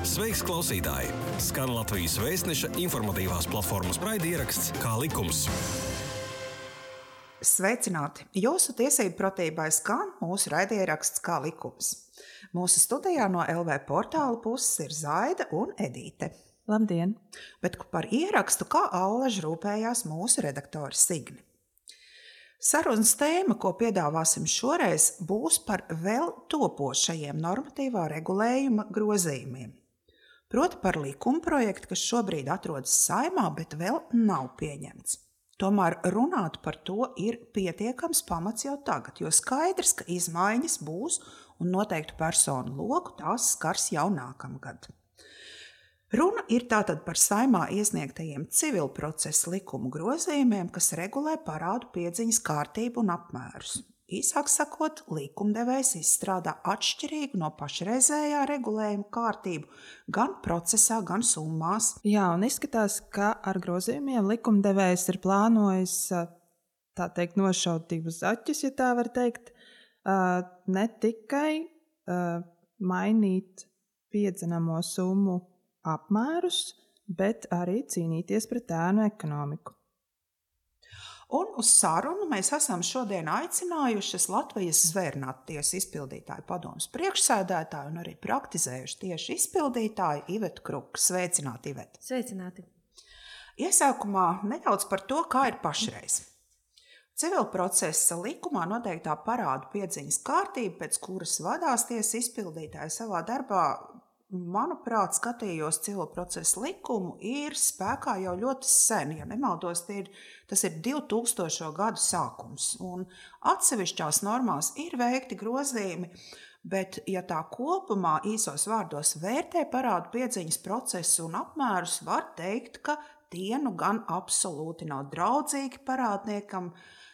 Sveiks, klausītāji! Skan Latvijas Vēstneša informatīvās platformas raidieraksts Kā likums. Sveicināti! Jūsu tiesību pratībai skan mūsu raidieraksts Kā likums. Mūsu studijā no LV portāla puses ir Zaida un Edīte. Labdien! Bet par ierakstu kā allaž rūpējās mūsu redaktori Signi. Sarunas tēma, ko piedāvāsim šoreiz, būs par vēl topošajiem normatīvā regulējuma grozījumiem. Proti par likumprojektu, kas šobrīd atrodas Saeimā, bet vēl nav pieņemts. Tomēr runāt par to ir pietiekams pamats jau tagad, jo skaidrs, ka izmaiņas būs un noteiktu personu loku tās skars jau nākamgad. Runa ir tātad par Saeimā iesniegtajiem civilprocesa likumu grozījumiem, kas regulē parādu piedziņas kārtību un apmērus. Īsāk sakot, likumdevējs izstrādā atšķirīgu no pašreizējā regulējuma kārtību gan procesā, gan summās. Jā, un izskatās, ka ar grozījumiem likumdevējs ir plānojis, tā teikt, nošaut divus zaķus, ja tā var teikt, ne tikai mainīt piedzenamo summu apmērus, bet arī cīnīties pret ēnu ekonomiku. Un uz sarunu mēs esam šodien aicinājušas Latvijas zvērnāttiesu izpildītāju padomes priekšsēdētāju un arī praktizējuši tieši izpildītāju Ivetu Kruku. Sveicināti, Iveta! Sveicināti! Iesākumā nedaudz par to, kā ir pašreiz. Civilprocesa likumā noteiktā parādu piedziņas kārtība, pēc kuras vadās tiesas izpildītāji savā darbā, manuprāt, skatījos civilprocesa likumu, ir spēkā jau ļoti sen, ja nemaldos, tas ir 2000. gadu sākums. Un atsevišķās normās ir veikti grozījumi, bet, ja tā kopumā īsos vārdos vērtē parādu piedziņas procesu un apmērus, var teikt, ka tie nu gan absolūti nav draudzīgi parādniekam,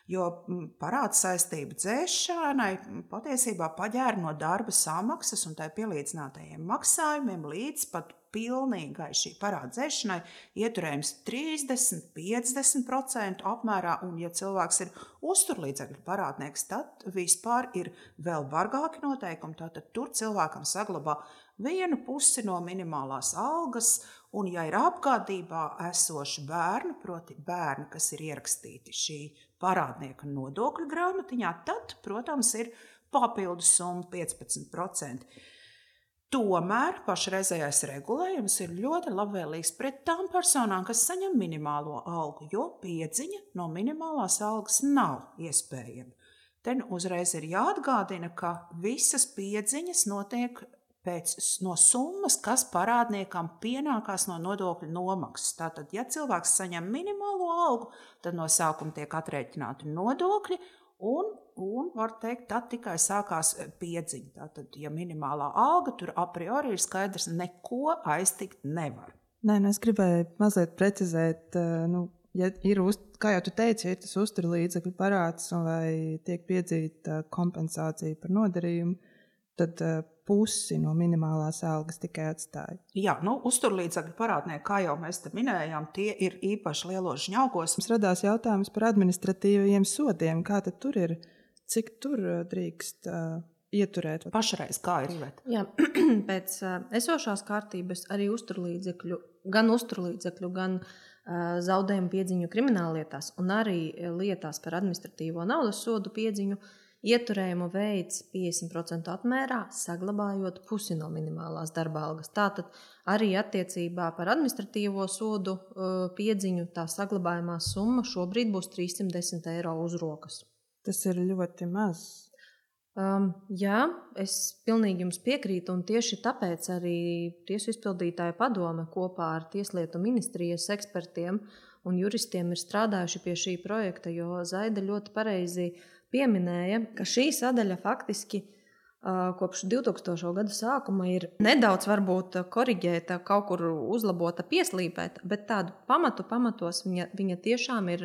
jo parāda saistību dzēšanai patiesībā paģēra no darba samaksas un tai pielīdzinātajiem maksājumiem līdz pat pilnīgai šī parāda dzēšanai ieturējums 30–50% apmērā, un ja cilvēks ir uzturlīdzekļu parādnieks, tad vispār ir vēl bargāki noteikumi, tātad tur cilvēkam saglabā vienu pusi no minimālās algas, un ja ir apgādībā esoši bērni, proti bērni, kas ir ierakstīti šī parādnieka nodokļu grāmatiņā, tad, protams, ir papildus summa 15%. Tomēr pašreizējais regulējums ir ļoti labvēlīgs pret tām personām, kas saņem minimālo algu, jo piedziņa no minimālās algas nav iespējama. Te uzreiz ir jāatgādina, ka visas piedziņas notiek no summas, kas parādniekam pienākās no nodokļu nomaksas. Tātad, ja cilvēks saņem minimālo algu, tad no sākuma tiek aprēķināti nodokļi un var teikt, tad tikai sākās piedziņa. Tātad, ja minimālā alga, tur a priori ir skaidrs, neko aiztikt nevar. Nē, es gribēju mazliet precizēt, ja ir, kā jau tu teici, ir tas uzturlīdzekļu parāds vai tiek piedzīta kompensācija par nodarījumu, tad pusi no minimālās algas tikai atstāja. Jā, uzturlīdzekļu parādnieki, kā jau mēs te minējām, tie ir īpaši lielos žņaugos. Mums radās jautājums par administratīvajiem sodiem. Kā tad tur ir? Cik tur drīkst ieturēt? Pašreiz kā ir, Iveta? Jā, pēc esošās kārtības arī gan uzturlīdzekļu, gan zaudējumu piedziņu krimināllietās un arī lietās par administratīvo naudas sodu piedziņu ieturējumu veids 50% apmērā, saglabājot pusi no minimālās darba algas. Tātad arī attiecībā par administratīvo sodu piedziņu tā saglabājumā summa šobrīd būs 310 eiro uz rokas. Tas ir ļoti maz. Jā, es pilnīgi jums piekrītu, un tieši tāpēc arī Tiesu izpildītāja padome kopā ar Tieslietu ministrijas ekspertiem un juristiem ir strādājuši pie šī projekta, jo Zaida ļoti pareizi pieminēja, ka šī sadaļa faktiski kopš 2000. gadu sākuma ir nedaudz varbūt koriģēta, kaut kur uzlabota, pieslīpēta, bet tādu pamatos viņa tiešām ir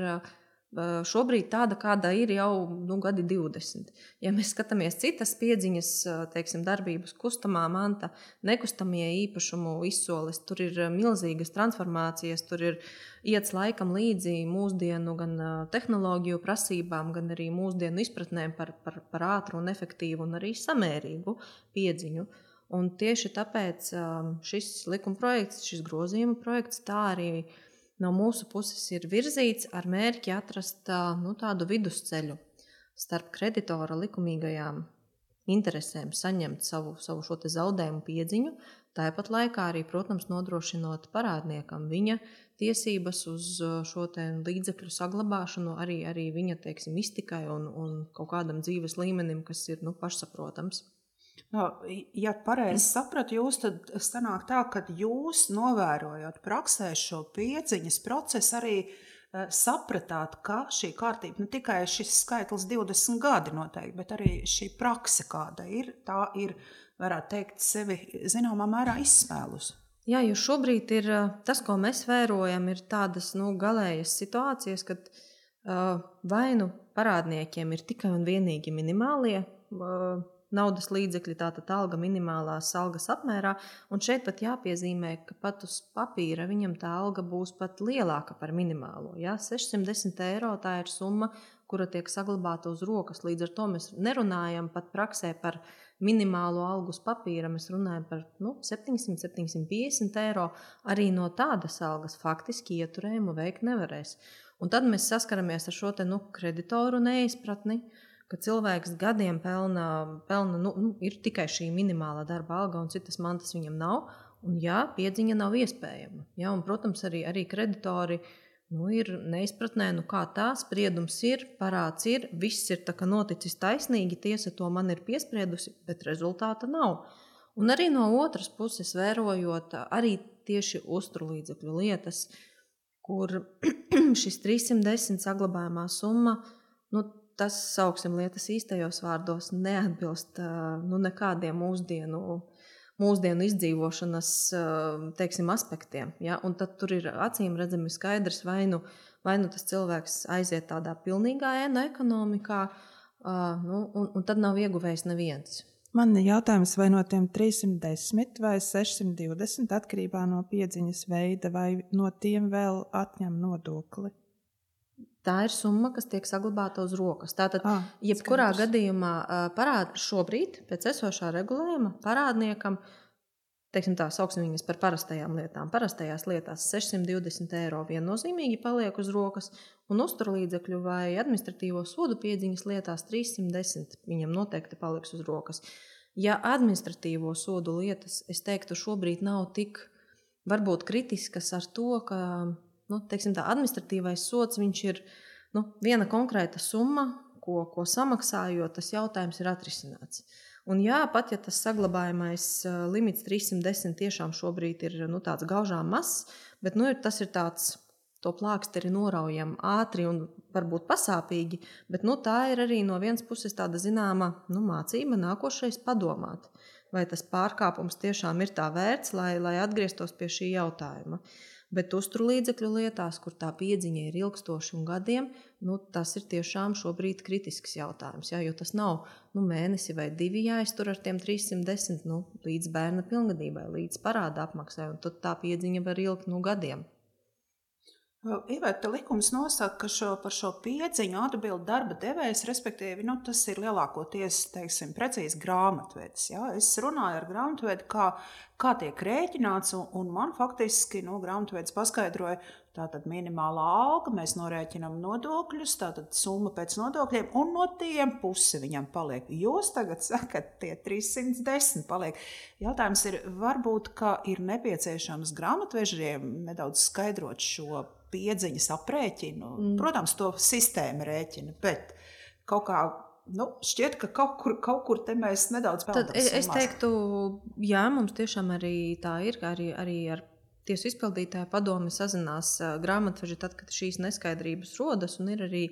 šobrīd tāda, kāda ir jau gadi 20. Ja mēs skatāmies citas piedziņas, teiksim, darbības, kustamā manta, nekustamie īpašumu izsoles, tur ir milzīgas transformācijas, tur ir iets laikam līdzi mūsdienu gan tehnoloģiju prasībām, gan arī mūsdienu izpratnēm par ātru un efektīvu un arī samērīgu piedziņu. Un tieši tāpēc šis likumprojekts, šis grozījuma projekts, tā arī no mūsu puses ir virzīts ar mērķi atrast tādu vidusceļu starp kreditora likumīgajām interesēm saņemt savu šo te zaudējumu piedziņu, tāpat laikā arī, protams, nodrošinot parādniekam viņa tiesības uz šo te līdzekļu saglabāšanu, arī viņa, teiksim, iztikai un kaut kādam dzīves līmenim, kas ir pašsaprotams. Ja pareizi sapratu jūs, tad sanāk tā, ka jūs novērojot praksē šo piedziņas procesu arī sapratāt, ka šī kārtība, ne tikai šis skaitlis 20 gadi noteikti, bet arī šī prakse kāda ir, tā ir, varētu teikt, sevi zināmā mērā izsmēlus. Jā, jo šobrīd ir tas, ko mēs vērojam, ir tādas galējas situācijas, kad vai parādniekiem ir tikai un vienīgi minimālie naudas līdzekļi, tātad alga minimālās algas apmērā, un šeit pat jāpiezīmē, ka pat uz papīra viņam tā alga būs pat lielāka par minimālo. Ja? 610 eiro tā ir summa, kura tiek saglabāta uz rokas. Līdz ar to mēs nerunājam pat praksē par minimālo algu uz papīra, mēs runājam par 700-750 eiro. Arī no tādas algas faktiski ieturējumu veikt nevarēs. Un tad mēs saskaramies ar šo te kreditoru neizpratni, ka cilvēks gadiem pelna ir tikai šī minimālā darba alga un citas mantas viņam nav, un piedziņa nav iespējama. Ja, un, protams, arī kreditori ir neizpratnē, kā tā spriedums ir, parāds ir, viss ir tā kā noticis taisnīgi, tiesa to man ir piespriedusi, bet rezultāta nav. Un arī no otras puses vērojot arī tieši uzturlīdzekļu lietas, kur šis 310 saglabājumā summa, tas, sauksim lietas īstajos vārdos, neatbilst nekādiem mūsdienu izdzīvošanas, teiksim, aspektiem. Ja? Un tad tur ir acīm redzami skaidrs, vai nu tas cilvēks aiziet tādā pilnīgā ēnu ekonomikā, un tad nav ieguvējis neviens. Man ir jautājums, vai no tiem 310 vai 620 atkarībā no piedziņas veida, vai no tiem vēl atņem nodokli? Tā ir summa, kas tiek saglabāta uz rokas. Tātad, jebkurā gadījumā šobrīd, pēc esošā regulējuma, parādniekam, teiksim tā, sauksim viņas par parastajām lietām. Parastajās lietās 620 eiro viennozīmīgi paliek uz rokas, un uzturlīdzekļu vai administratīvo sodu piedziņas lietās 310 viņam noteikti paliks uz rokas. Ja administratīvo sodu lietas, es teiktu, šobrīd nav tik varbūt kritiskas ar to, ka teiksim tā, administratīvais sods, viņš ir viena konkrēta summa, ko samaksājot, tas jautājums ir atrisināts. Un pat ja tas saglabājamais limits 310 tiešām šobrīd ir tāds gaužām mazs, bet tas ir tāds, to plāksteri noraujam ātri un varbūt pasāpīgi, bet tā ir arī no vienas puses tāda zināma mācība nākošais padomāt, vai tas pārkāpums tiešām ir tā vērts, lai atgrieztos pie šī jautājuma. Bet uzturlīdzekļu lietās, kur tā piedziņa ir ilgstoši un gadiem, tas ir tiešām šobrīd kritisks jautājums. Jo tas nav mēnesi vai 2 jāiztur ar tiem 310 līdz bērna pilngadībai, līdz parāda apmaksai, un tad tā piedziņa var ilgt gadiem. Iveta, likums nosaka, ka par šo piedziņu atbild darba devējs, respektīvi, tas ir lielākoties, teiksim, precīzi grāmatvedis. Ja? Es runāju ar grāmatvedi, kā tiek rēķināts, un man faktiski grāmatvedis paskaidroja, tātad minimālā alga, mēs norēķinām nodokļus, tātad summa pēc nodokļiem, un no tiem pusi viņam paliek. Jūs tagad sakat, tie 310 paliek. Jautājums ir, varbūt, ka ir nepieciešams grāmatvežiem nedaudz skaidrot šo piedziņas aprēķinu. Protams, to sistēma rēķina, bet kaut kā šķiet, ka kaut kur te mēs nedaudz peldam. Es teiktu, jā, mums tiešām arī tā ir, arī ar tiesu izpildītāju padomi sazinās grāmatveži tad, kad šīs neskaidrības rodas, un ir arī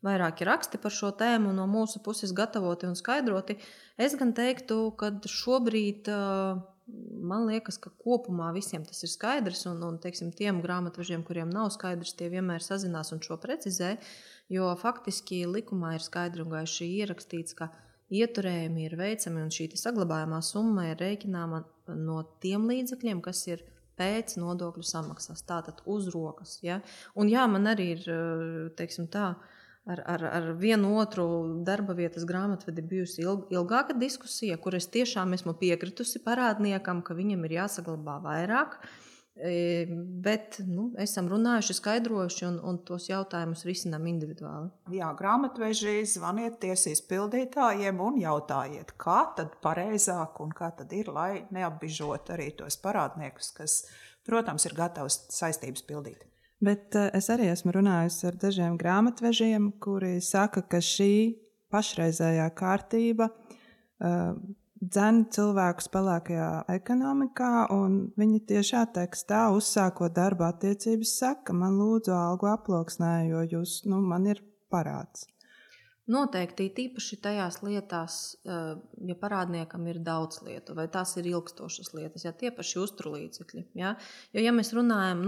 vairāki raksti par šo tēmu no mūsu puses gatavoti un skaidroti. Es gan teiktu, ka šobrīd man liekas, ka kopumā visiem tas ir skaidrs, un teiksim, tiem grāmatvežiem, kuriem nav skaidrs, tie vienmēr sazinās un šo precizē, jo faktiski likumā ir skaidri un gaiši ierakstīts, ka ieturējumi ir veicami un šī saglabājumā summa ir rēķināma no tiem līdzekļiem, kas ir pēc nodokļu samaksas, tātad uz rokas. Ja? Un man arī ir, teiksim tā, ar vienu otru darba vietas grāmatvedi bijusi ilgāka diskusija, kur es tiešām esmu piekritusi parādniekam, ka viņam ir jāsaglabā vairāk. Bet esam runājuši, skaidrojuši un tos jautājumus risinām individuāli. Jā, grāmatveži, zvaniet tiesas pildītājiem un jautājiet, kā tad pareizāk un kā tad ir, lai neapbižot arī tos parādniekus, kas, protams, ir gatavs saistības pildīt. Bet es arī esmu runājusi ar dažiem grāmatvežiem, kuri saka, ka šī pašreizējā kārtība dzen cilvēkus pelēkajā ekonomikā, un viņi tiešā tekstā uzsākot darba attiecības saka, man lūdzu algu aploksnē, jo man ir parāds. Noteikti, tīpaši tajās lietās, ja parādniekam ir daudz lietu, vai tās ir ilgstošas lietas, ja tie paši uzturlīdzekļi. Ja? Jo, ja mēs runājam,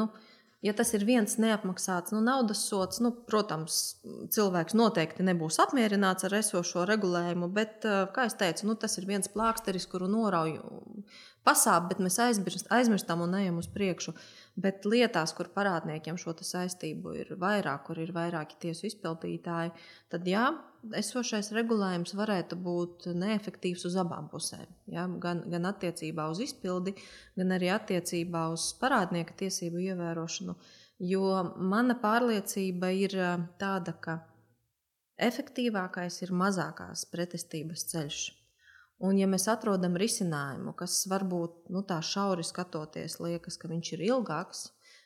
ja tas ir viens neapmaksāts naudas sods, protams, cilvēks noteikti nebūs apmierināts ar esošo regulējumu, bet, kā es teicu, tas ir viens plāksteris, kuru norauju pasāp, bet mēs aizmirstam un ejam uz priekšu. Bet lietās, kur parādniekiem šo saistību ir vairāk, kur ir vairāki tiesu izpildītāji, tad jā, esošais regulējums varētu būt neefektīvs uz abām pusēm. Ja? Gan attiecībā uz izpildi, gan arī attiecībā uz parādnieka tiesību ievērošanu. Jo mana pārliecība ir tāda, ka efektīvākais ir mazākās pretestības ceļš. Un ja mēs atrodam risinājumu, kas varbūt tā šauri skatoties liekas, ka viņš ir ilgāks,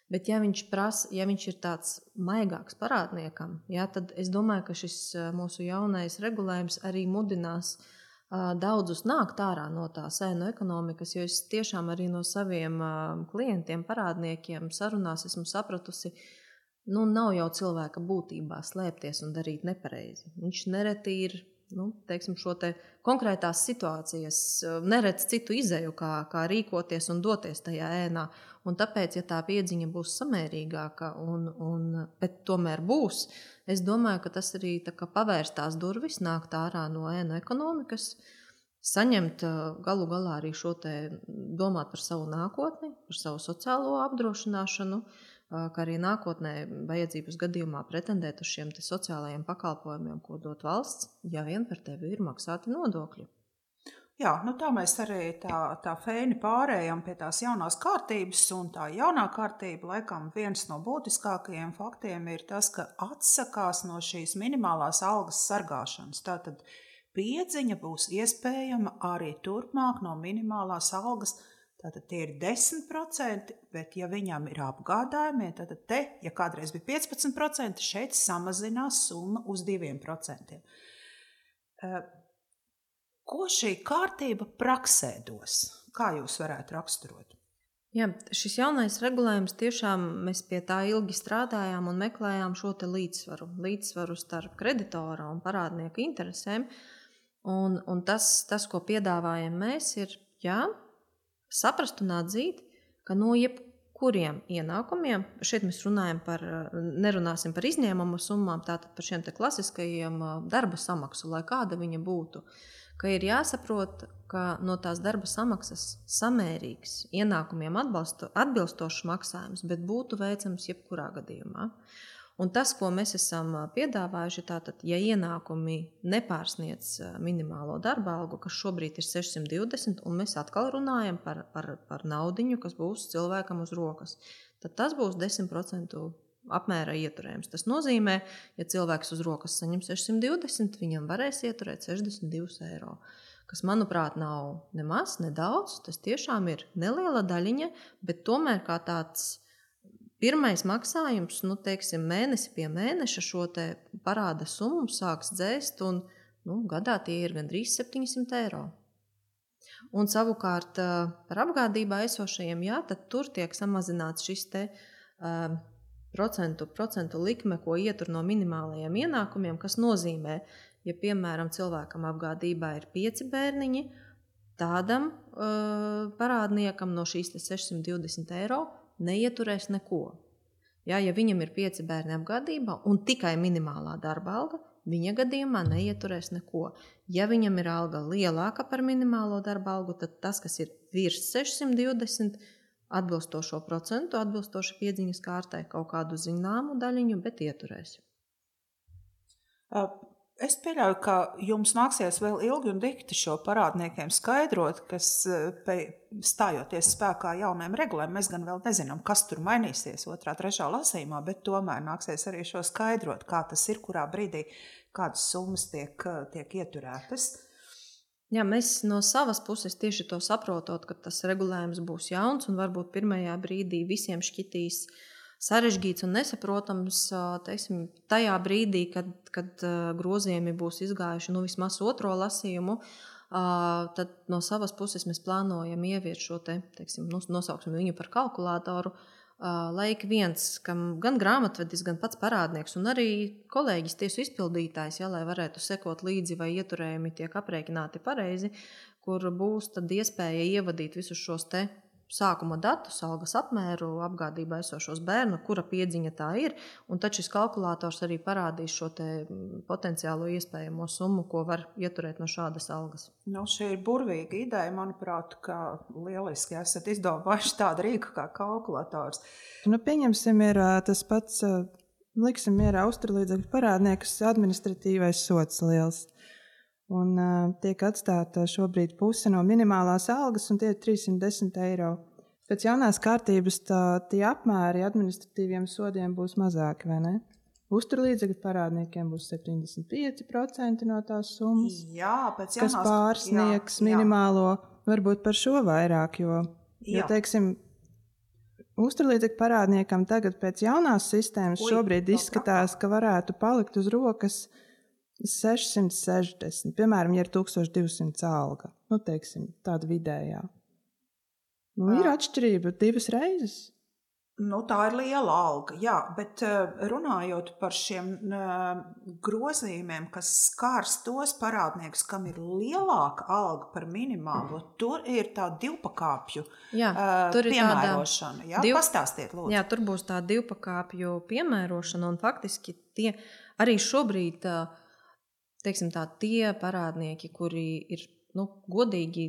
bet ja viņš ir tāds maigāks parādniekam, tad es domāju, ka šis mūsu jaunais regulējums arī mudinās daudzus nākt ārā no tās ēnu ekonomikas, jo es tiešām arī no saviem klientiem, parādniekiem sarunās esmu sapratusi, nav jau cilvēka būtībā slēpties un darīt nepareizi. Viņš nereti ir teiksim, šo te konkrētās situācijas, neredz citu izeju, kā rīkoties un doties tajā ēnā. Un tāpēc, ja tā piedziņa būs samērīgāka, bet tomēr būs, es domāju, ka tas arī pavērs tās durvis, nākt ārā no ēnu ekonomikas, saņemt galu galā arī šo te domāt par savu nākotni, par savu sociālo apdrošināšanu, kā arī nākotnē vajadzības gadījumā pretendēt uz šiem sociālajiem pakalpojumiem, ko dot valsts, ja vien par tevi ir maksāti nodokļi. Jā, tā mēs arī tā feini pārējām pie tās jaunās kārtības, un tā jaunā kārtība, laikam, viens no būtiskākajiem faktiem ir tas, ka atsakās no šīs minimālās algas sargāšanas. Tātad piedziņa būs iespējama arī turpmāk no minimālās algas. Tātad tie ir 10%, bet ja viņam ir apgādājumi, tad ja kādreiz bija 15%, šeit samazinās summa uz 2%. Ko šī kārtība praksē dos? Kā jūs varētu raksturot? Jā, šis jaunais regulējums tiešām mēs pie tā ilgi strādājām un meklējām šo te līdzsvaru starp kreditora un parādnieka interesēm. Un tas, ko piedāvājam mēs, ir, saprast un atzīt, ka no jebkuriem ienākumiem, šeit mēs nerunāsim par izņēmumu summām, tātad par šiem te klasiskajiem darba samaksu, lai kāda viņa būtu, ka ir jāsaprot, ka no tās darba samaksas samērīgs ienākumiem atbilstošs maksājums, bet būtu veicams jebkurā gadījumā. Un tas, ko mēs esam piedāvājuši, tātad, ja ienākumi nepārsniedz minimālo darba algu, kas šobrīd ir 620, un mēs atkal runājam par naudiņu, kas būs cilvēkam uz rokas, tad tas būs 10% apmērā ieturējums. Tas nozīmē, ja cilvēks uz rokas saņem 620, viņam varēs ieturēt 62 eiro, kas, manuprāt, nav nemaz, nedaudz. Tas tiešām ir neliela daļiņa, bet tomēr kā tāds pirmais maksājums, teiksim, mēnesi pie mēneša šo te parāda summu sāks dzēst, un gadā tie ir gandrīz 700 eiro. Un savukārt par apgādībā esošajiem, tad tur tiek samazināts šis te procentu likme, ko ietur no minimālajiem ienākumiem, kas nozīmē, ja, piemēram, cilvēkam apgādībā ir 5 bērniņi, tādam parādniekam no šīs 620 eiro neieturēs neko. Ja viņam ir 5 bērni apgādībā un tikai minimālā darba alga, viņa gadījumā neieturēs neko. Ja viņam ir alga lielāka par minimālo darba algu, tad tas, kas ir virs 620, atbilstošo procentu, atbilstoši piedziņas kārtai kaut kādu zināmu daļiņu, bet ieturēs. Es pieļauju, ka jums nāksies vēl ilgi un dikti šo parādniekiem skaidrot, kas stājoties spēkā jauniem regulēm, mēs gan vēl nezinām, kas tur mainīsies 2., 3. lasījumā, bet tomēr nāksies arī šo skaidrot, kā tas ir, kurā brīdī kādas summas tiek ieturētas. Jā, mēs no savas puses tieši to saprotot, ka tas regulējums būs jauns un varbūt pirmajā brīdī visiem šķitīs sarežģīts un nesaprotams, teiksim, tajā brīdī, kad grozījumi būs izgājuši vismaz 2. lasījumu, tad no savas puses mēs plānojam ieviest šo teiksim, nosauksim viņu par kalkulātoru, lai ik viens, kam gan grāmatvedis, gan pats parādnieks un arī kolēģis tiesu izpildītājs, lai varētu sekot līdzi, vai ieturējumi tiek aprēķināti pareizi, kur būs tad iespēja ievadīt visus šos sākuma datus, algas apmēru, apgādībā esošos bērnu, kura piedziņa tā ir, un tad šis kalkulators arī parādīs šo potenciālo iespējamo summu, ko var ieturēt no šādas algas. Šī ir burvīga ideja, manuprāt, ka lieliski esat izdomājuši tādu rīku kā kalkulators. Pieņemsim, ir tas pats, liksim mierā uzturlīdzekļu parādniekus, administratīvais sods liels. Un tiek atstāta šobrīd puse no minimālās algas, un tie ir 310 eiro. Pēc jaunās kārtības tie apmēri administratīviem sodiem būs mazāki, vai ne? Uzturlīdzekļu parādniekiem būs 75% no tās summas, kas pārsniegs minimālo, varbūt par šo vairāk, jo teiksim, uzturlīdzekļu parādniekam tagad pēc jaunās sistēmas šobrīd izskatās, ka varētu palikt uz rokas 660, piemēram, ja ir 1200 alga, teiksim, tāda vidējā. Ir atšķirība 2 reizes. Tā ir liela alga, jā, bet runājot par šiem grozījumiem, kas skārs tos parādniekus, kam ir lielāka alga par minimālo, tur ir tā divpakāpju piemērošana. Pastāstiet, lūdzu. Jā, tur būs tā divpakāpju piemērošana, un faktiski tie arī šobrīd teiksim tā, tie parādnieki, kuri ir godīgi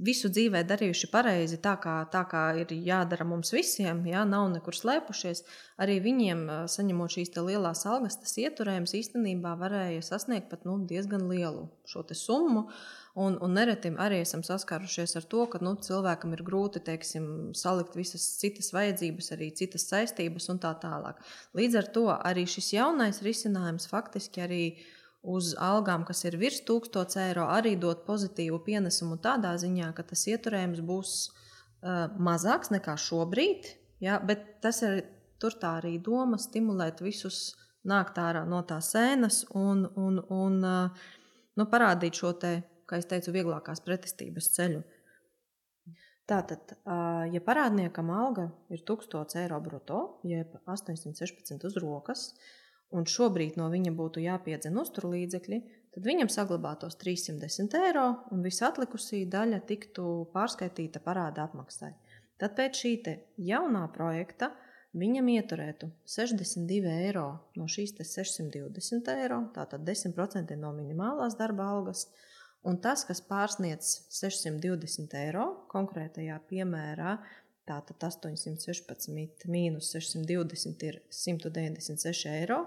visu dzīvē darījuši pareizi, tā kā ir jādara mums visiem, nav nekur slēpušies, arī viņiem, saņemot šīs lielās algas, tas ieturējums īstenībā varēja sasniegt pat diezgan lielu šo summu, un nereti arī esam saskārušies ar to, ka cilvēkam ir grūti, teiksim, salikt visas citas vajadzības, arī citas saistības un tā tālāk. Līdz ar to arī šis jaunais risinājums faktiski arī uz algām, kas ir virs 1000 eiro, arī dot pozitīvu pienesumu tādā ziņā, ka tas ieturējums būs mazāks nekā šobrīd, bet tas ir tur tā arī doma stimulēt visus nākt ārā no tās sēnas un parādīt šo kā es teicu, vieglākās pretestības ceļu. Tātad, ja parādniekam alga ir 1000 eiro bruto, jeb 816 uz rokas, un šobrīd no viņa būtu jāpiedzen uzturlīdzekļi, tad viņam saglabātos 310 eiro, un visa atlikusī daļa tiktu pārskaitīta parāda apmaksai. Tad pēc šī jaunā projekta viņam ieturētu 62 eiro no šīs 620 eiro, tātad 10% no minimālās darba algas, un tas, kas pārsniedz 620 eiro, konkrētajā piemērā, tātad 816 mīnus 620 ir 196 eiro.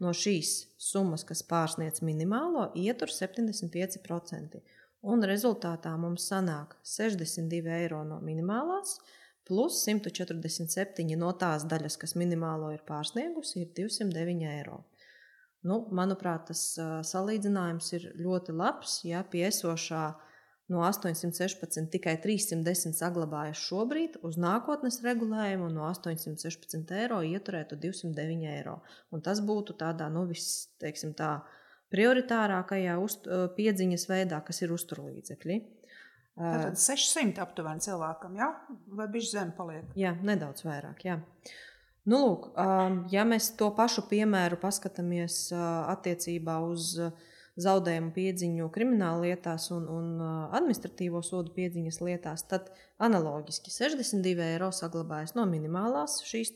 No šīs summas, kas pārsniedz minimālo, ietur 75%. Un rezultātā mums sanāk 62 eiro no minimālās, plus 147 no tās daļas, kas minimālo ir pārsniegusi, ir 209 eiro. Manuprāt, tas salīdzinājums ir ļoti labs, pie esošā no 816 tikai 310 saglabājas šobrīd, uz nākotnes regulējumu no 816 eiro ieturētu 209 eiro. Un tas būtu tādā, teiksim tā, prioritārākajā piedziņas veidā, kas ir uzturlīdzekļi. Tātad 600 aptuveni cilvēkam, jā? Vai bišķi zem paliek? Jā, nedaudz vairāk, jā. Lūk, ja mēs to pašu piemēru paskatāmies attiecībā uz zaudējumu piedziņu krimināla lietās un administratīvo sodu piedziņas lietās, tad analoģiski 62 eiro saglabājas no minimālās šīs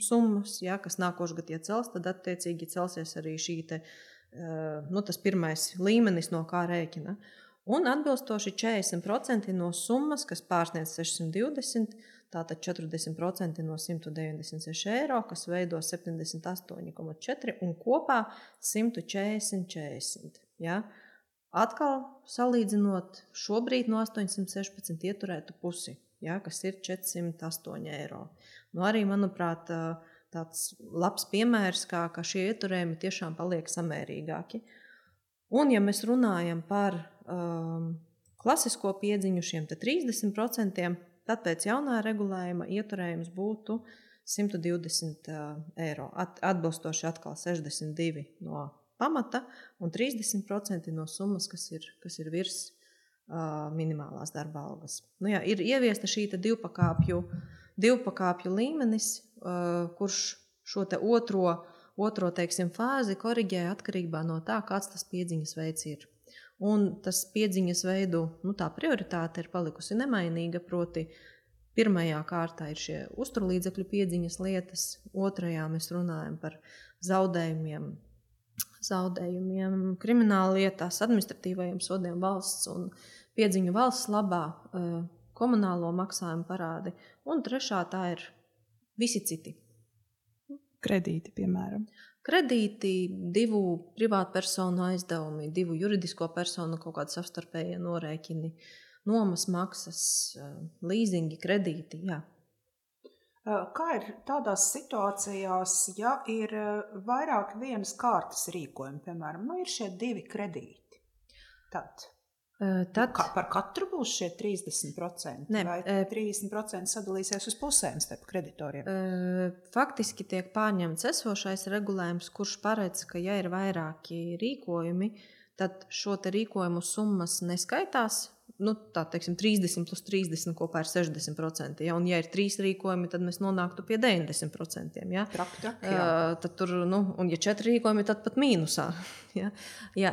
summas, kas nākošgad iecels, tad attiecīgi celsies arī šī tas pirmais līmenis, no kā rēķina. Un atbilstoši 40% no summas, kas pārsniedz 620, tātad 40% no 196 eiro, kas veido 78,4 un kopā 140,40. Ja? Atkal salīdzinot šobrīd no 816 ieturētu pusi, ja? Kas ir 408 eiro. Nu, arī, manuprāt, tāds labs piemērs, kā šie ieturējumi tiešām paliek samērīgāki. Un, ja mēs runājam par klasisko piedziņu šiem 30%, tad pēc jaunā regulējuma ieturējums būtu 120 eiro. Atbilstoši atkal 62 no pamata un 30% no summas, kas ir virs minimālās darba algas. Nu, jā, ir ieviesta šī divpakāpju līmenis, kurš šo te otro teiksim, fāzi koriģē atkarībā no tā, kāds tas piedziņas veids ir. Un tas piedziņas veidu, tā prioritāte ir palikusi nemainīga, proti pirmajā kārtā ir šie uzturlīdzekļu piedziņas lietas, otrajā mēs runājam par zaudējumiem krimināla lietās, administratīvajiem sodiem valsts un piedziņu valsts labā, komunālo maksājumu parādi, un trešā tā ir visi citi. Kredīti, piemēram. Kredīti, 2 privātpersonu aizdevumi, 2 juridisko personu kaut kādi savstarpējie norēķini, nomas maksas, līzingi, kredīti, jā. Kā ir tādās situācijās, ja ir vairāk vienas kārtas rīkojumi, piemēram, ir šie 2 kredīti, tad par katru būs šie 30%? Ne, vai 30% sadalīsies uz pusēm starp kreditoriem? Faktiski tiek pārņemts esošais regulējums, kurš paredz, ka ja ir vairāki rīkojumi, tad šo te rīkojumu summas neskaitās. Tā teiksim, 30 plus 30 kopā ir 60%. Ja? Un ja ir 3 rīkojumi, tad mēs nonāktu pie 90%. Ja? Traki, tad tur, un ja 4 rīkojumi, tad pat mīnusā. Ja? Jā,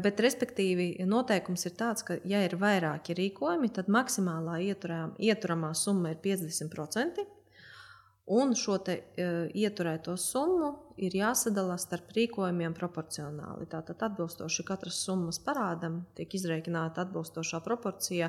bet respektīvi noteikums ir tāds, ka ja ir vairāki rīkojumi, tad maksimālā ieturamā summa ir 50%. Un šo te ieturēto summu ir jāsadala starp rīkojumiem proporcionāli. Tātad atbilstoši katras summas parādam tiek izreikināta atbilstošā proporcija.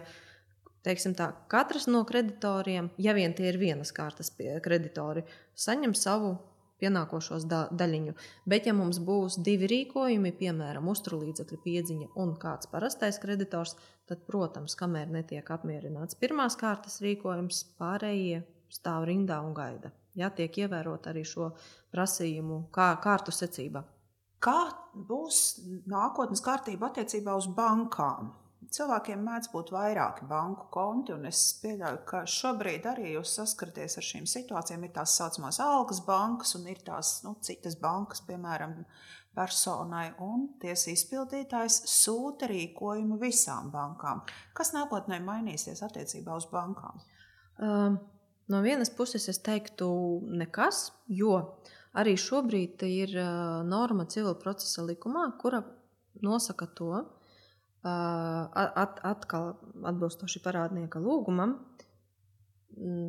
Teiksim tā, katrs no kreditoriem, ja vien tie ir vienas kārtas kreditori, saņem savu pienākošos daļiņu. Bet ja mums būs 2 rīkojumi, piemēram, uzturlīdzekļu piedziņa un kāds parastais kreditors, tad, protams, kamēr netiek apmierināts pirmās kārtas rīkojums, pārējie stāv rindā un gaida. Jā, tiek ievērot arī šo prasījumu kārtu secībā. Kā būs nākotnes kārtība attiecībā uz bankām? Cilvēkiem mēdz būt vairāki banku konti, un es pieļauju, ka šobrīd arī jūs saskaraties ar šīm situācijām. Ir tās saucamās algas bankas un ir tās citas bankas, piemēram, personai, un tiesa izpildītājs sūta rīkojumu visām bankām. Kas nākotnē mainīsies attiecībā uz bankām? No vienas puses es teiktu nekas, jo arī šobrīd ir norma civila procesa likumā, kura nosaka to, atkal atbilstoši parādnieka lūgumam,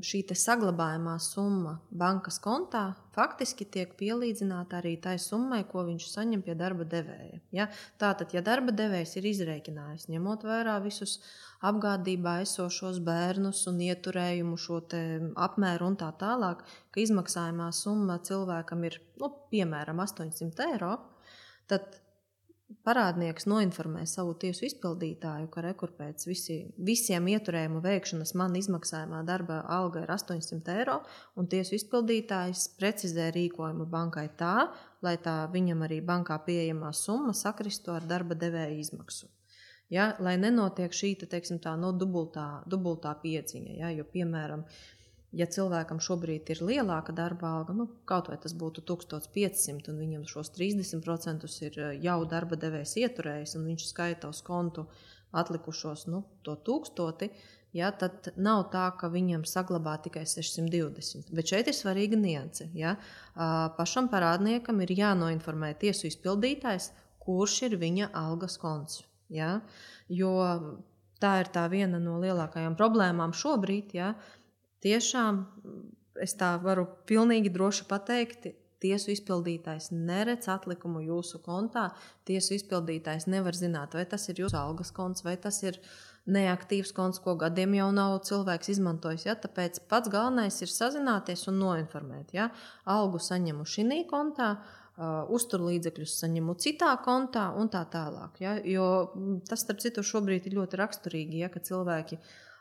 šī te saglabājumā summa bankas kontā faktiski tiek pielīdzināta arī tai summai, ko viņš saņem pie darba devēja. Ja? Tātad, ja darba devējs ir izrēķinājis, ņemot vērā visus apgādībā esošos bērnus un ieturējumu šo te apmēru un tā tālāk, ka izmaksājumā summa cilvēkam ir, piemēram, 800 eiro, tad parādnieks noinformē savu tiesu izpildītāju, ka rekur pēc visiem ieturējumu veikšanas man izmaksājumā darba alga ir 800 eiro, un tiesu izpildītājs precizē rīkojumu bankai tā, lai tā viņam arī bankā pieejamā summa sakristu ar darba devēja izmaksu. Ja, lai nenotiek šī, teiksim tā, dubultā piedziņa, ja, jo, piemēram, ja cilvēkam šobrīd ir lielāka darba alga, kaut vai tas būtu 1500 un viņam šos 30% ir jau darba devējs ieturējis un viņš skaita uz kontu atlikušos to 1000, ja, tad nav tā, ka viņam saglabā tikai 620. Bet šeit ir svarīga nianse. Ja. Pašam parādniekam ir jānoinformē tiesu izpildītājs, kurš ir viņa algas konts. Ja. Jo tā ir tā viena no lielākajām problēmām šobrīd, ja. Tiešām, es tā varu pilnīgi droši pateikt, tiesu izpildītājs neredz atlikumu jūsu kontā. Tiesu izpildītājs nevar zināt, vai tas ir jūsu algas konts, vai tas ir neaktīvs konts, ko gadiem jau nav cilvēks izmantojis. Ja? Tāpēc pats galvenais ir sazināties un noinformēt. Ja? Algu saņemu šī kontā, uzturlīdzekļus saņemu citā kontā un tā tālāk. Ja? Jo tas, starp citu, šobrīd ir ļoti raksturīgi, ja? Ka cilvēki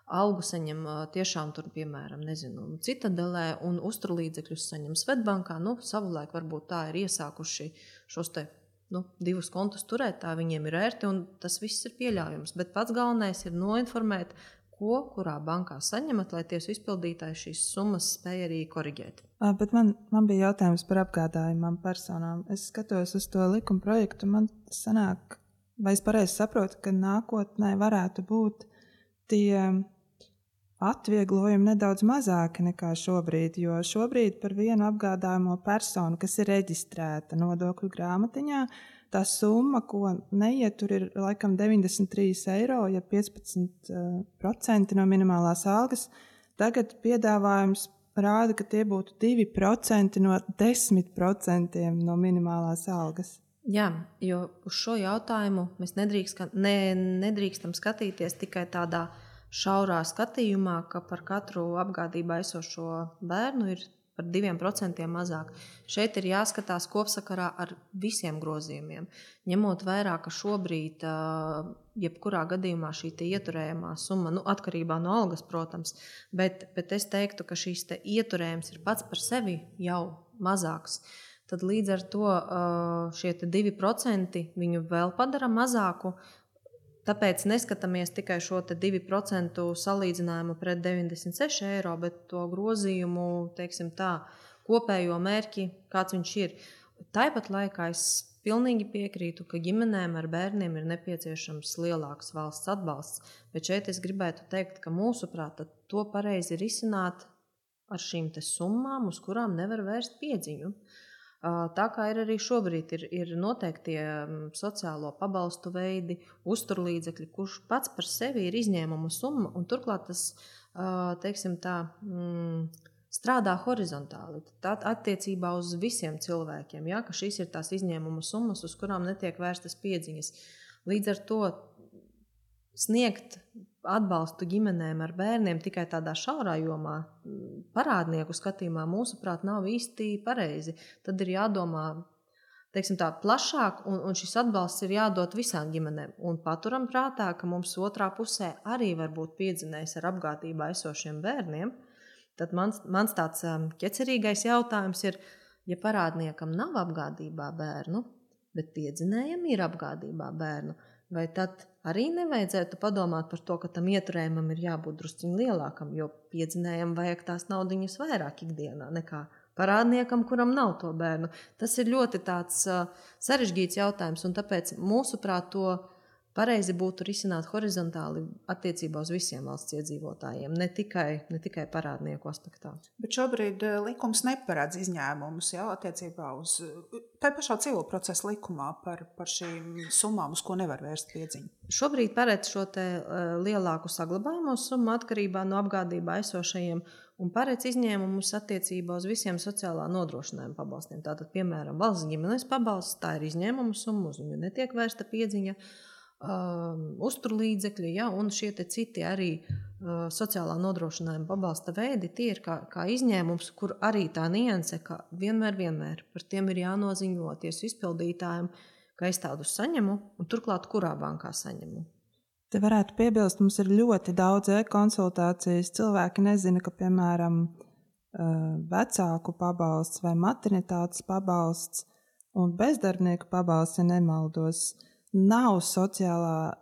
algu saņem tiešām tur, piemēram, Citadelē un uzturlīdzekļus saņem Svetbankā. Savulaik varbūt tā ir iesākuši šos te divus kontus turēt, tā viņiem ir ērti un tas viss ir pieļaujams. Bet pats galvenais ir noinformēt, kurā bankā saņemat, lai tiesu izpildītājs šīs summas spēj arī koriģēt. Bet man bija jautājums par apgādājumām personām. Es skatos uz to likuma projektu, man sanāk, vai es pareizi saprotu, ka nākotnē varētu būt tie atvieglojumi nedaudz mazāki nekā šobrīd, jo šobrīd par vienu apgādājumo personu, kas ir reģistrēta nodokļu grāmatiņā, tā summa, ko neietur, ir laikam 93 eiro, ja 15% no minimālās algas. Tagad piedāvājums rāda, ka tie būtu 2% no 10% no minimālās algas. Jā, jo uz šo jautājumu mēs nedrīkstam skatīties tikai tādā šaurā skatījumā, ka par katru apgādībā esošo bērnu ir par 2% mazāk. Šeit ir jāskatās kopsakarā ar visiem grozījumiem. Ņemot vērā, ka šobrīd, jebkurā gadījumā šī ieturējumā summa, atkarībā no algas, protams, bet es teiktu, ka šīs ieturējums ir pats par sevi jau mazāks. Tad līdz ar to šie 2% viņu vēl padara mazāku. Tāpēc neskatāmies tikai šo 2% salīdzinājumu pret 96 eiro, bet to grozījumu, teiksim tā, kopējo mērķi, kāds viņš ir. Tāpat laikā es pilnīgi piekrītu, ka ģimenēm ar bērniem ir nepieciešams lielāks valsts atbalsts, bet šeit es gribētu teikt, ka mūsuprāt to pareizi risināt ar šīm summām, uz kurām nevar vērst piedziņu. Tā kā ir arī šobrīd ir noteikti sociālo pabalstu veidi, uzturlīdzekļi, kurš pats par sevi ir izņēmuma summa, un turklāt tas, teiksim tā, strādā horizontāli. Tā attiecībā uz visiem cilvēkiem, ja, ka šīs ir tās izņēmuma summas, uz kurām netiek vērstas piedziņas. Līdz ar to sniegt atbalstu ģimenēm ar bērniem tikai tādā šaurā jomā, parādnieku skatījumā, mūsuprāt, nav īsti pareizi. Tad ir jādomā, teiksim tā, plašāk, un šis atbalsts ir jādod visām ģimenēm. Un paturam prātā, ka mums otrā pusē arī var būt piedzinējs ar apgādībā esošiem bērniem. Tad mans tāds ķecerīgais jautājums ir, ja parādniekam nav apgādībā bērnu, bet piedzinējam ir apgādībā bērnu, vai tad arī nevajadzētu padomāt par to, ka tam ieturējumam ir jābūt drusciņ lielākam, jo piedzinējam vajag tās naudiņas vairāk ikdienā nekā parādniekam, kuram nav to bērnu. Tas ir ļoti tāds sarežģīts jautājums, un tāpēc mūsuprāt to pareizi būtu risināt horizontāli attiecībā uz visiem valsts iedzīvotājiem, ne tikai parādnieku aspektā. Bet šobrīd likums neparedz izņēmumus, ja, attiecībā uz tā pašā civil procesa likumā par šīm summām, uz ko nevar vērst piedziņu. Šobrīd paredz šo lielāku saglabājumu summu atkarībā no apgādībā esošajiem un paredz izņēmumus attiecībā uz visiem sociālā nodrošinājuma pabalstiem. Tātad, piemēram, valsts ģimenes pabalsts, tā ir izņēmuma summa, uz viņu netiek vērsta piedziņa, uzturlīdzekļi, ja, un šie citi arī sociālā nodrošinājuma pabalsta veidi, tie ir kā izņēmums, kur arī tā nianse, ka vienmēr par tiem ir jānoziņo tiesu izpildītājiem, ka es tādus saņemu, un turklāt kurā bankā saņemu. Te varētu piebilst, mums ir ļoti daudz e-konsultācijas. Cilvēki nezina, ka, piemēram, vecāku pabalsts vai maternitātes pabalsts un bezdarbnieku pabalsts, ja nemaldos, nav sociālā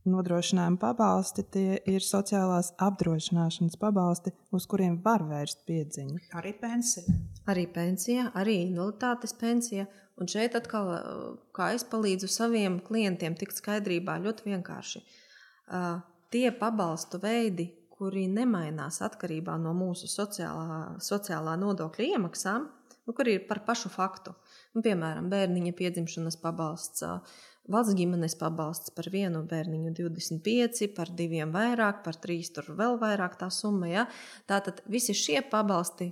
nodrošinājuma pabalsti, tie ir sociālās apdrošināšanas pabalsti, uz kuriem var vērst piedziņu. Arī pensija. Arī pensija, arī invaliditātes pensija. Un šeit atkal, kā es palīdzu saviem klientiem tikt skaidrībā, ļoti vienkārši. Tie pabalstu veidi, kuri nemainās atkarībā no mūsu sociālā nodokļa iemaksām, kuri ir par pašu faktu. Piemēram, bērniņa piedzimšanas pabalsts, valsts ģimenes pabalsts par vienu bērniņu 25, par 2 vairāk, par 3 tur vēl vairāk tā summa. Ja? Tātad visi šie pabalsti,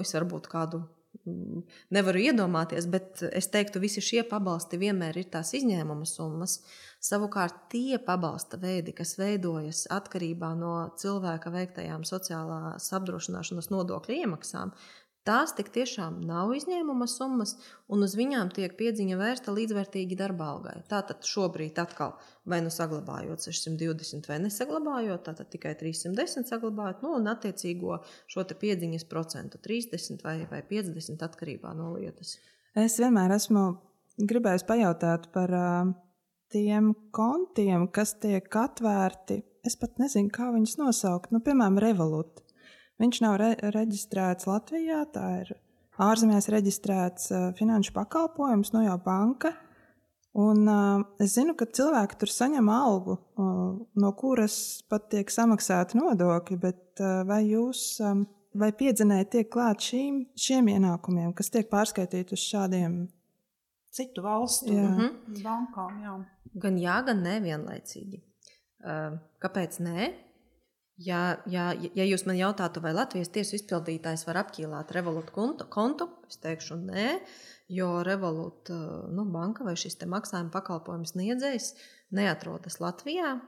es varbūt kādu nevaru iedomāties, bet es teiktu, visi šie pabalsti vienmēr ir tās izņēmuma summas. Savukārt tie pabalsta veidi, kas veidojas atkarībā no cilvēka veiktajām sociālās apdrošināšanas nodokļu iemaksām, tās tik tiešām nav izņēmuma summas, un uz viņām tiek piedziņa vērsta līdzvērtīgi darba algai. Tātad šobrīd atkal vai nu saglabājot 620 vai nesaglabājot, tātad tikai 310 saglabājot, un attiecīgo šo te piedziņas procentu 30 vai 50 atkarībā no lietas. Es vienmēr esmu gribējis pajautāt par tiem kontiem, kas tiek atvērti. Es pat nezinu, kā viņus nosaukt. Piemēram, Revolut. Viņš nav reģistrēts Latvijā, tā ir ārzemēs reģistrēts finanšu pakalpojums, jau banka. Un es zinu, ka cilvēki tur saņem algu, no kuras pat tiek samaksāti nodokļi, bet vai piedzinēji tiek klāt šiem ienākumiem, kas tiek pārskaitīti uz šādiem citu valstu bankām? Jā. Gan jā, gan nē vienlaicīgi. Kāpēc nē? Ja jūs man jautātu, vai Latvijas tiesu izpildītājs var apķīlāt Revolut kontu, es teikšu nē, jo Revolut banka vai šis te maksājuma pakalpojums sniedzējs neatrodas Latvijā.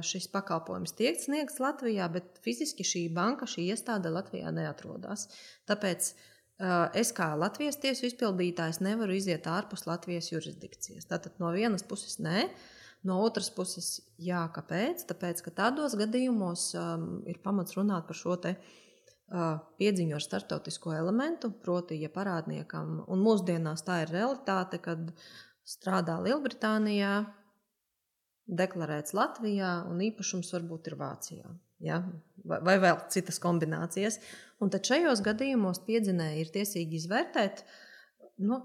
Šis pakalpojums tiek sniegts Latvijā, bet fiziski šī banka, šī iestāde Latvijā neatrodas. Tāpēc es kā Latvijas tiesu izpildītājs nevaru iziet ārpus Latvijas jurisdikcijas. Tātad no vienas puses nē, no otras puses jā, kāpēc? Tāpēc, ka tādos gadījumos ir pamats runāt par šo te piedziņu ar starptautisko elementu, proti, ja parādniekam, un mūsdienās tā ir realitāte, kad strādā Lielbritānijā, deklarēts Latvijā un īpašums varbūt ir Vācijā. Ja? Vai vēl citas kombinācijas. Un tad šajos gadījumos piedzinēji ir tiesīgi izvērtēt,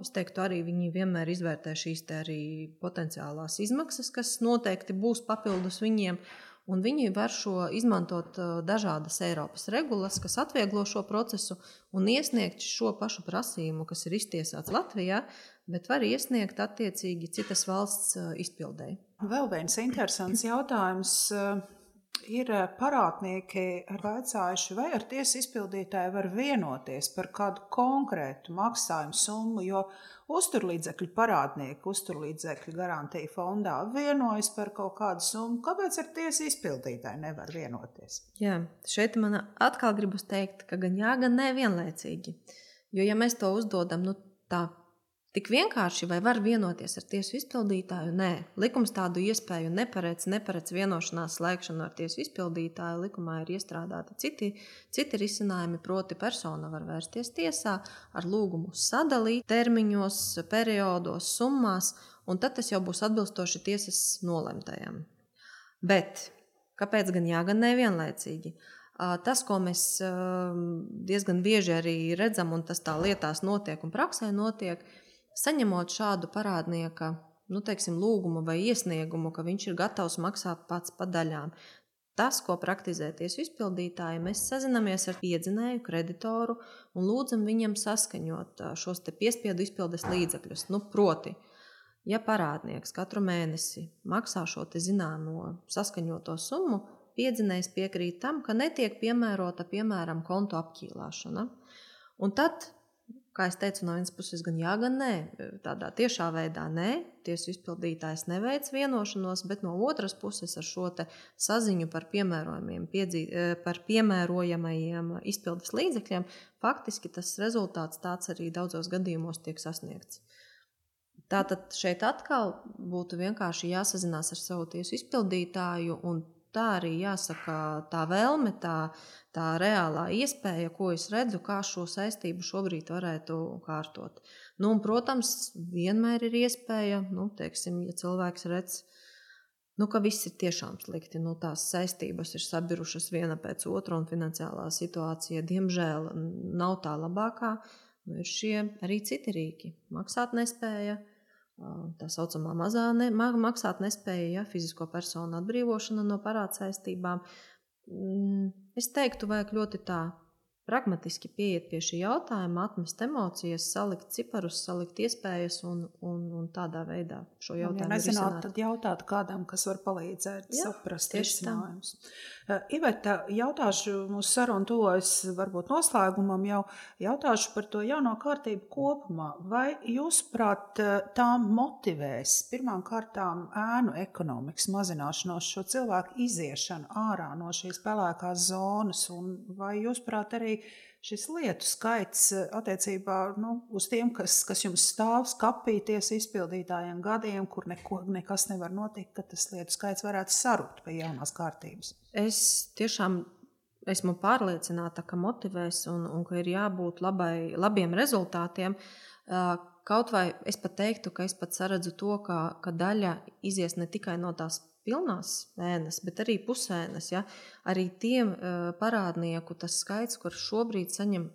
es teiktu arī viņi vienmēr izvērtē šīs te arī potenciālās izmaksas, kas noteikti būs papildus viņiem, un viņi var izmantot dažādas Eiropas regulas, kas atvieglo šo procesu un iesniegt šo pašu prasījumu, kas ir iztiesāts Latvijā, bet var iesniegt attiecīgi citas valsts izpildēji. Vēl viens interesants jautājums. Ir parādnieki vaicājuši, vai ar tiesu izpildītāju var vienoties par kādu konkrētu maksājumu summu, jo uzturlīdzekļu parādnieki, uzturlīdzekļu garantija fondā vienojas par kaut kādu summu. Kāpēc ar tiesu izpildītāju nevar vienoties? Jā, šeit man atkal gribas teikt, ka gan jā, gan nē vienlaicīgi. Jo ja mēs to uzdodam, tā tik vienkārši, vai var vienoties ar tiesu izpildītāju? Nē, likums tādu iespēju neparedz vienošanās slēgšanu ar tiesu izpildītāju. Likumā ir iestrādāti citi risinājumi, proti persona var vērsties tiesā ar lūgumu sadalīt termiņos, periodos, summās, un tad tas jau būs atbilstoši tiesas nolemtajam. Bet kāpēc gan jā, gan nē vienlaicīgi? Tas, ko mēs diezgan bieži arī redzam, un tas tā lietās notiek un praksē notiek, saņemot šādu parādnieka, lūgumu vai iesniegumu, ka viņš ir gatavs maksāt pats pa daļām. Tas, ko praktizē tiesu izpildītāji, mēs sazinamies ar piedzinēju, kreditoru un lūdzam viņam saskaņot šos te piespiedu izpildes līdzekļus. Proti, ja parādnieks katru mēnesi maksā šo te zināmo saskaņoto summu, piedzinējs piekrīt tam, ka netiek piemērota, piemēram, kontu apķīlāšana. Un tad, kā es teicu, no vienas puses gan jā, gan nē. Tādā tiešā veidā nē, tiesu izpildītājs neveic vienošanos, bet no otras puses ar šo te saziņu par piemērojamajiem izpildes līdzekļiem, faktiski tas rezultāts tāds arī daudzos gadījumos tiek sasniegts. Tātad šeit atkal būtu vienkārši jāsazinās ar savu tiesu izpildītāju, un tā arī jāsaka tā vēlme, tā reālā iespēja, ko es redzu, kā šo saistību šobrīd varētu kārtot. Un, protams, vienmēr ir iespēja, ja cilvēks redz, ka viss ir tiešām slikti, tās saistības ir sabirušas viena pēc otra un finansiālā situācija, diemžēl, nav tā labākā, ir šie arī citi rīki. Maksātnespēja, tā saucamā mazā maksātnespēja, fizisko personu atbrīvošana no parādsaistībām. Es teiktu, vajag ļoti tā pragmatiski pieiet pie šī jautājuma, atmest emocijas, salikt ciparus, salikt iespējas un tādā veidā šo jautājumu risināt. Ja nezināt, tad jautāt kādam, kas var palīdzēt saprast risinājumus. Iveta, jautāšu, mūsu saruna tuvojas varbūt noslēgumam, jau jautāšu par to jauno kārtību kopumā. Vai jūsuprāt, tā motivēs pirmām kārtām ēnu ekonomikas mazināšanos, šo cilvēku iziešanu ārā no šīs pelēkās zonas, un vai jūsuprāt arī šis lietu skaits attiecībā uz tiem, kas jums stāv skapīties izpildītājiem gadiem, kur nekas nevar notikt, ka tas lietu skaits varētu sarukt pie jaunās kārtības? Es tiešām esmu pārliecināta, ka motivēs un ka ir jābūt labiem rezultātiem. Kaut vai es pat teiktu, ka es pat saredzu to, ka daļa izies ne tikai no tās pilnās ēnas, bet arī pusēnas. Ja? Arī tiem parādnieku tas skaits, kurš šobrīd saņem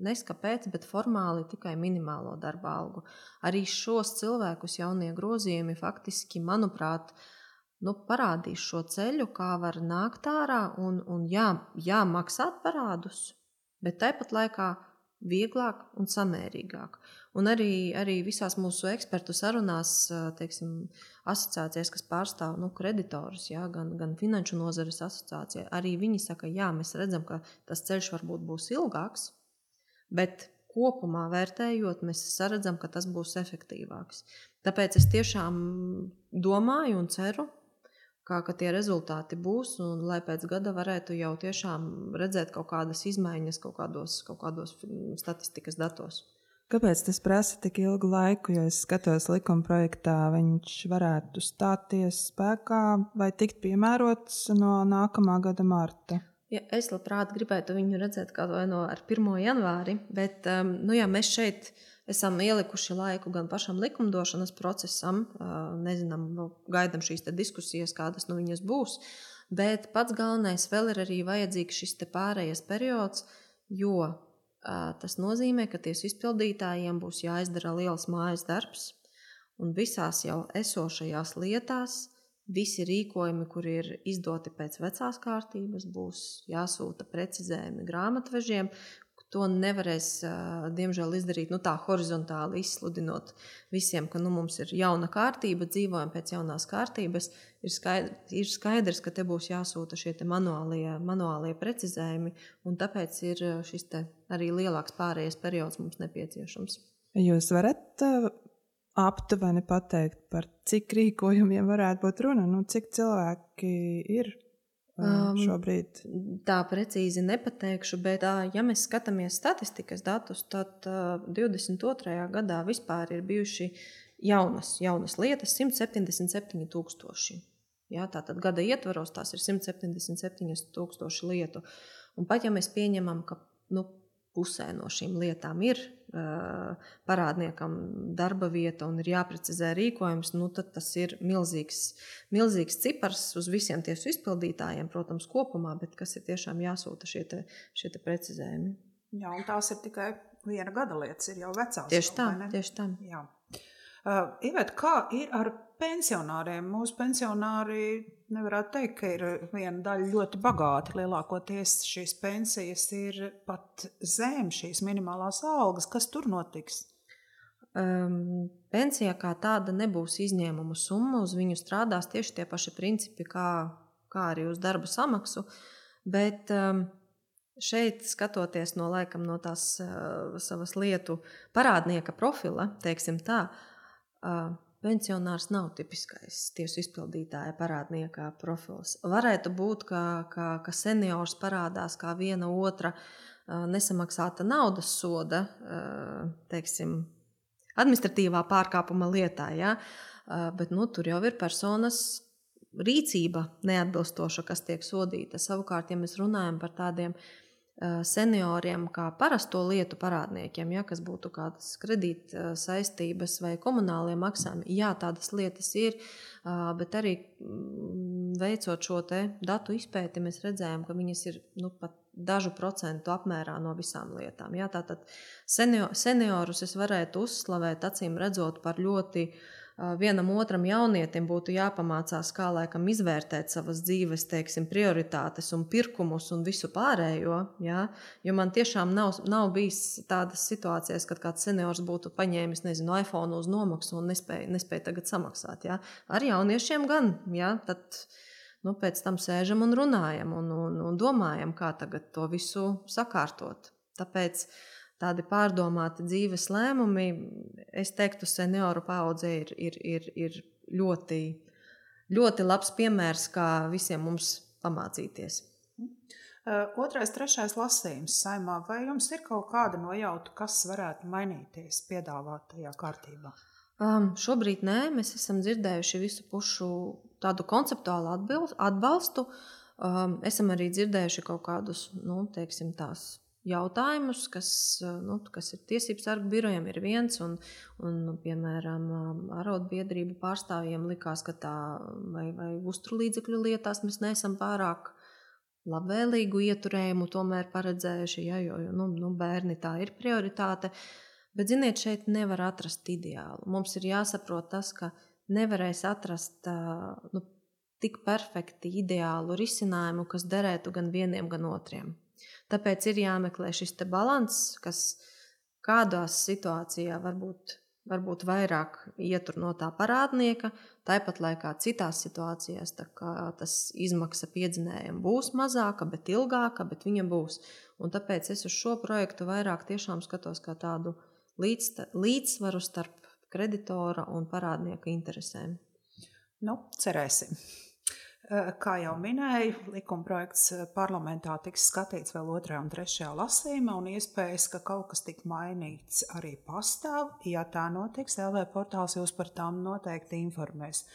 neskapēc, bet formāli tikai minimālo darba algu. Arī šos cilvēkus jaunie grozījumi faktiski, manuprāt, parādīs šo ceļu, kā var nākt ārā un maksāt parādus, bet tāpat laikā vieglāk un samērīgāk. Un arī visās mūsu ekspertu sarunās, teiksim, asociācijas, kas pārstāv kreditorus, ja, gan finanšu nozares asociācija, arī viņi saka, jā, mēs redzam, ka tas ceļš varbūt būs ilgāks, bet kopumā vērtējot, mēs saredzam, ka tas būs efektīvāks. Tāpēc es tiešām domāju un ceru, ka tie rezultāti būs, un lai pēc gada varētu jau tiešām redzēt kaut kādas izmaiņas kaut kādos statistikas datos. Kāpēc tas prasa tik ilgu laiku, jo es skatos likuma projektā, viņš varētu stāties spēkā vai tikt piemērots no nākamā gada marta? Ja, es labprāt gribētu viņu redzēt kā vai ar 1. janvāri, bet mēs šeit esam ielikuši laiku gan pašam likumdošanas procesam, nezinām, gaidām šīs diskusijas, kādas viņas būs, bet pats galvenais vēl ir arī vajadzīgs šis pārējais periods, jo tas nozīmē, ka tiesu izpildītājiem būs jāizdara liels mājas darbs, un visās jau esošajās lietās visi rīkojumi, kuri ir izdoti pēc vecās kārtības, būs jāsūta precizējumi grāmatvežiem. To nevarēs, diemžēl, izdarīt tā horizontāli izsludinot visiem, ka mums ir jauna kārtība, dzīvojam pēc jaunās kārtības. Ir skaidrs, ka te būs jāsūta šie manuālie precizējumi, un tāpēc ir šis arī lielāks pārējais periods mums nepieciešams. Jūs varat aptuveni pateikt, par cik rīkojumiem varētu būt runa? Cik cilvēki ir šobrīd? Tā precīzi nepateikšu, bet ja mēs skatāmies statistikas datus, tad 22. gadā vispār ir bijuši jaunas lietas 177,000. Ja, tātad gada ietvaros tās ir 177,000 lietu. Un pat ja mēs pieņemam, ka pusē no šīm lietām ir parādniekam darba vieta un ir jāprecizē rīkojums, tad tas ir milzīgs cipars uz visiem tiesu izpildītājiem, protams, kopumā, bet kas ir tiešām jāsūta šie precizējumi. Jā, un tās ir tikai viena gada lietas, ir jau vecās. Tieši tā. Jā. Ivet, kā ir ar pensionāriem? Mūsu pensionāri nevarētu teikt, ka ir viena daļa ļoti bagāti. Lielākoties šīs pensijas ir pat zem šīs minimālās algas. Kas tur notiks? Pensija kā tāda nebūs izņēmuma summa. Uz viņu strādās tieši tie paši principi, kā arī uz darba samaksu. Bet šeit, skatoties no tās savas lietu parādnieka profila, teiksim tā, pensionārs nav tipiskais tiesu izpildītāja parādnieka profils. Varētu būt, ka seniors parādās kā viena otra nesamaksāta naudas soda, teiksim, administratīvā pārkāpuma lietā, ja? Bet tur jau ir personas rīcība neatbilstoša, kas tiek sodīta. Savukārt, ja mēs runājam par tādiem senioriem kā parasto lietu parādniekiem, ja, kas būtu kādas kredīta saistības vai komunālie maksājumi. Jā, tādas lietas ir, bet arī veicot šo datu izpēti, mēs redzējām, ka viņas ir pat dažu procentu apmērā no visām lietām. Ja, tātad seniorus es varētu uzslavēt, acīm redzot, par ļoti vienam otram jaunietim būtu jāpamācās, kā laikam izvērtēt savas dzīves, teiksim, prioritātes un pirkumus un visu pārējo. Ja? Jo man tiešām nav bijis tādas situācijas, kad kāds seniors būtu paņēmis, iPhone uz nomaksu un nespēja tagad samaksāt. Ja? Ar jauniešiem gan. Ja? Tad, pēc tam sēžam un runājam un domājam, kā tagad to visu sakārtot. Tāpēc tādi pārdomāti dzīves lēmumi, es teiktu, senioru paudze ir ļoti, ļoti labs piemērs, kā visiem mums pamācīties. 2., 3. lasījums Saeimā. Vai jums ir kaut kāda nojauta, kas varētu mainīties piedāvātajā kārtībā? Šobrīd nē, mēs esam dzirdējuši visu pušu tādu konceptuālu atbalstu. Esam arī dzirdējuši kaut kādus, teiksim, tās jautājumus, kas ir tiesību sargu birojiem, ir viens, un piemēram, arotbiedrību pārstāvjiem likās, ka tā vai uzturlīdzekļu lietās mēs neesam pārāk labvēlīgu ieturējumu tomēr paredzējuši, jo bērni tā ir prioritāte. Bet, ziniet, šeit nevar atrast ideālu. Mums ir jāsaprot tas, ka nevarēs atrast tik perfekti ideālu risinājumu, kas derētu gan vieniem, gan otriem. Tāpēc ir jāmeklē šis te balanss, kas kādās situācijā varbūt vairāk ietur no tā parādnieka, tāpat laikā citās situācijās tā kā tas izmaksa piedzinējiem būs mazāka, bet ilgāka, bet viņa būs. Un tāpēc es uz šo projektu vairāk tiešām skatos kā tādu līdzsvaru starp kreditora un parādnieka interesēm. Cerēsim. Kā jau minēju, likumprojekts parlamentā tiks skatīts vēl 2. un 3. lasījumā, un iespējas, ka kaut kas tik mainīts arī pastāv. Ja tā notiks, LV portāls jūs par tām noteikti informēs.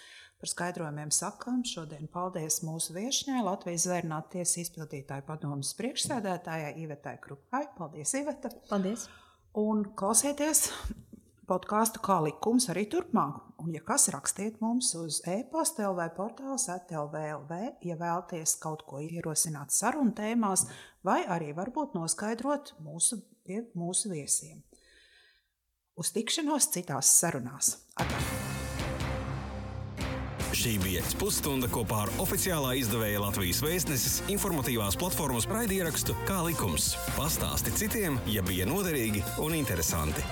Par skaidrojumiem sakām šodien paldies mūsu viešņai, Latvijas Zvērinātu tiesas izpildītāju padomes priekšsēdētājai Ivetai Krupai. Paldies, Iveta! Paldies! Un klausieties podkāstu Kā likums arī turpmāk. Un, ja kas, rakstiet mums uz e-pasta lvportāls@lv.lv, ja vēlaties kaut ko ierosināt sarunu tēmās, vai arī varbūt noskaidrot mūsu viesiem. Uz tikšanos citās sarunās. Atā! Šī bija pusstunda kopā ar oficiālā izdevēja Latvijas Vēstneses informatīvās platformas raidierakstu Kā likums. Pastāsti citiem, ja bija noderīgi un interesanti.